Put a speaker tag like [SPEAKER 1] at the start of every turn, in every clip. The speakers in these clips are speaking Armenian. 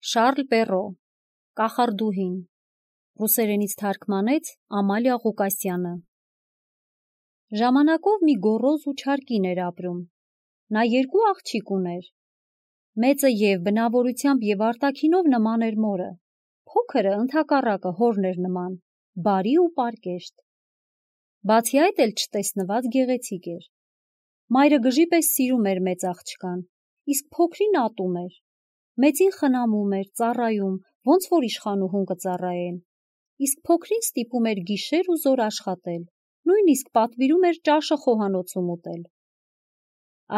[SPEAKER 1] Շարլ Պերո, Կախարդուհին, ռուսերենից թարգմանեց Ամալիա Ղուկասյանը։ Ժամանակով մի գոռոզ ու չար կին էր ապրում։ Նա երկու աղջիկ ուներ։ Մեծը և բնավորությամբ և արտաքինով նման էր մորը, փոքրը ընդհակառակը հորն էր նման, բարի ու պարկեշտ։ Բացի այդ էլ չտեսնված գեղեցիկ էր։ Մայրը գժի պես սիրում էր մեծ աղջկան, իսկ փոքրին ատում էր։ Մեծին խնամում էր, ծառայում, ոնց որ իշխանուհուն կծառայեն, իսկ փոքրին ստիպում էր գիշեր ու զօր աշխատել, նույնիսկ պատվիրում էր ճաշը խոհանոցում ուտել։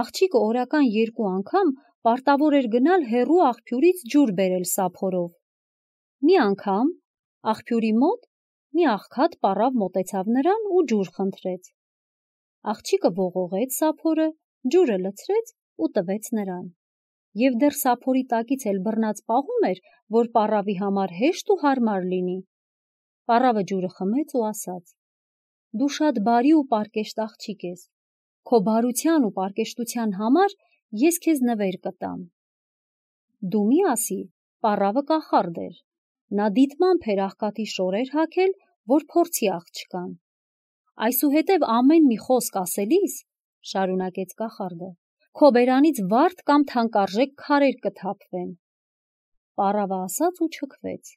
[SPEAKER 1] Աղջիկը օրական 2 անգամ պարտավոր էր գնալ հեռու աղբյուրից ջուր բերել սափորով։ Մի անգամ աղբյուրի մոտ մի աղքատ պառավ մոտեցավ նրան ու ջուր խնդրեց։ Աղջիկը ողողեց սափորը, ջուրը լցրեց ու տվեց նրան։ Եվ դեռ սափորի տակից էլ բռնած պահում էր, որ պառավի համար հեշտ ու հարմար լինի։ Պառավը ջուրը խմեց ու ասաց. «Դու շատ բարի ու պարկեշտ աղջիկ ես, քո բարության ու պարկեշտության համար ես քեզ նվեր կտամ»։ Դու մի ասի, պառավը կախարդ էր, նա դիտմամբ էր աղքատի շորեր հագել, որ փորձի աղջկան։ Այսուհետև ամեն մի խոսք ասելիս, շարունակեց կախարդը, քո բերանից վարդ կամ թանկարժեք քարեր կթափվեն։ Պառավը ասաց ու չքվեց,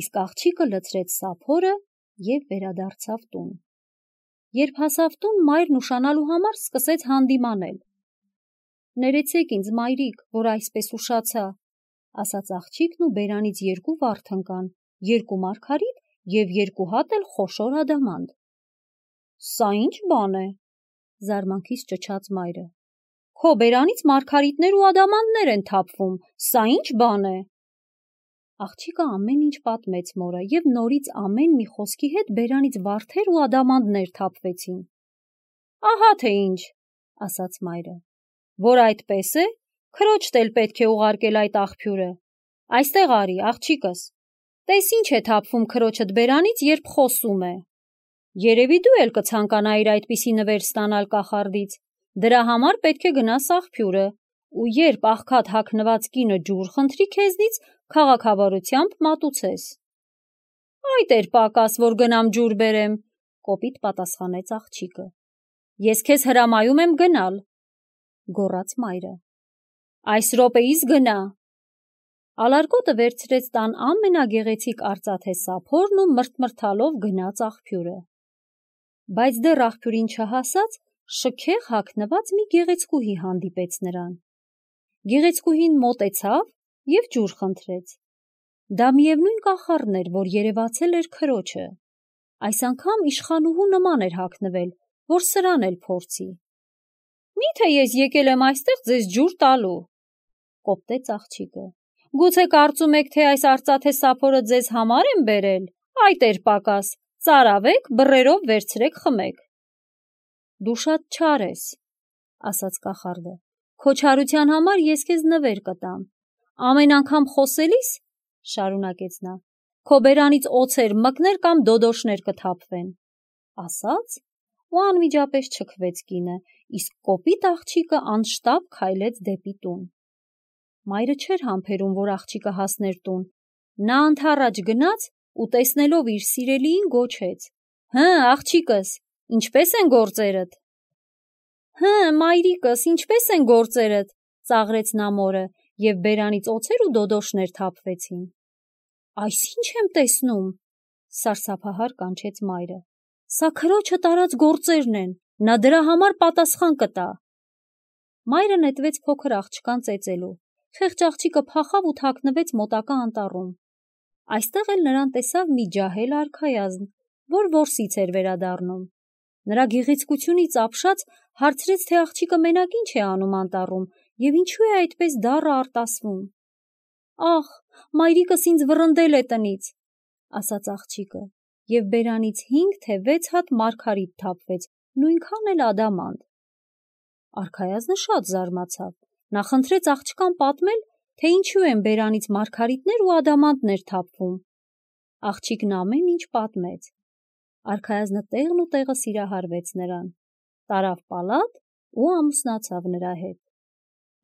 [SPEAKER 1] իսկ աղջիկը լցրեց սափորը և վերադարձավ տուն։ Երբ հասավ տուն, մայրն ուշանալու համար սկսեց հանդիմանել։ «Ներեցեք ինձ, մայրիկ, որ այսպես ուշացա», ասաց աղջիկն ու բերանից 2 վարդ ընկան, 2 մարգարիտ և 2 հատ էլ խոշոր ադամանդ։ «Սա ի՞նչ բան է», զարմանքից ճչաց մայրը։ «Քո բերանից մարգարիտներ ու ադամանդներ են թափվում, սա ի՞նչ բան է»։ Աղջիկը ամեն ինչ պատմեց մորը և նորից ամեն մի խոսքի հետ բերանից վարդեր ու ադամանդներ թափվեցին։ «Ահա թե ինչ», ասաց մայրը, «որ այդպես է, քրոջդ էլ պետք է ուղարկել այդ աղբյուրը։ Այստեղ արի, աղջիկս, տես ինչ է թափվում քրոջդ բերանից, երբ խոսում է։ Երևի դու էլ կցանկանայիր այդպիսի նվեր ստանալ կախարդից, դրա համար պետք է գնաս աղբյուրը, ու երբ աղքատ հագնված կինը ջուր խնդրի քեզնից, քաղաքավարությամբ մատուցես»։ «Այդ էր պակաս, որ գնամ ջուր բերեմ», կոպիտ պատասխանեց աղջիկը։ «Ես քեզ հրամայում եմ գնալ», գոռաց մայրը։ «Այս րոպեիս գնա»։ Ալարկոտը վերցրեց տան ամենագեղեցիկ արծաթե սափորն ու մրթմրթալով գնաց աղբյուրը։ Բայց դեռ աղբյուրին չհասած, շքեղ հագնված մի գեղեցկուհի հանդիպեց նրան։ Գեղեցկուհին մոտեցավ և ջուր խնդրեց։ Դա միևնույն կախարդն էր, որ երևացել էր քրոջը։ Այս անգամ իշխանուհու նման էր հագնվել, որ սրան էլ փորձի։ «Մի՞թե ես եկել եմ այստեղ ձեզ ջուր տալու», կոպտեց աղջիկը։ «Գուցե կարծում եք, թե այս արծաթե սափորը ձեզ համար եմ բերել։ Այդ էր պակաս, ծարավեք, բռերով վերցրեք, խմեք»։ «Դու շատ չար ես», ասաց կախարդը։ «Քո չարության համար ես քեզ նվեր կտամ։ Ամեն անգամ խոսելիս, շարունակեց նա, քո բերանից օձեր մկներ կամ դոդոշներ կթափվեն»։ Ասաց ու անմիջապես չքվեց կինը, իսկ կոպիտ աղջիկը անշտապ քայլեց դեպի տուն։ Մայրը չէր համբերում, որ աղջիկը հասներ տուն։ Նա ընդառաջ գնաց ու տեսնելով իր սիրելիին գոչեց. «Հը, աղջիկս, ինչպե՞ս են գործերդ»։ «Հը, մայրիկս, ինչպե՞ս են գործերդ», ծաղրեց նա մորը, և բերանից օձեր ու դոդոշներ թափվեցին։ «Այս ի՞նչ եմ տեսնում», սարսափահար կանչեց մայրը։ «Սա քրոջը տարած գործերն են, նա դրա համար պատասխան կտա»։ Մայրը նետվեց փոքր աղջկան ծեծելու։ Խեղճ աղջիկը փախավ ու թաքնվեց մոտակա անտառում։ Այստեղ էլ նրան տեսավ մի ջահել արքայազն, որ որսից էր վերադառնում։ Նրա գեղեցկությունից ապշած հարցրեց, թե աղջիկը մենակ ինչ է անում անտառում և ինչու է այդպես դառը արտասվում։ «Ախ, մայրիկս ինձ վռնդել է տնից», ասաց աղջիկը, և բերանից 5 թե 6 հատ մարգարիտ թափվեց, նույնքան էլ ադամանդ։ Արքայազնը շատ զարմացավ։ Նա խնդրեց աղջկան պատմել, թե ինչու են բերանից մարգարիտներ ու ադամանդներ թափվում։ Աղջիկն ամեն ինչ պատմեց։ Արքայազնը տեղն ու տեղը սիրահարվեց նրան, տարավ պալատ ու ամուսնացավ նրա հետ։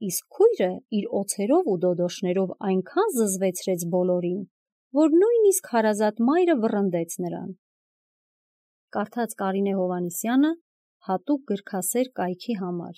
[SPEAKER 1] իսկ քույրը իր օձերով ու դոդոշներով այնքան զզվեցրեց բոլորին, որ նույնիսկ հարազատ մայրը վռնդեց նրան։ Կարդաց Կարինե Հովհաննիսյանը հատուկ գրքասեր կայքի համար։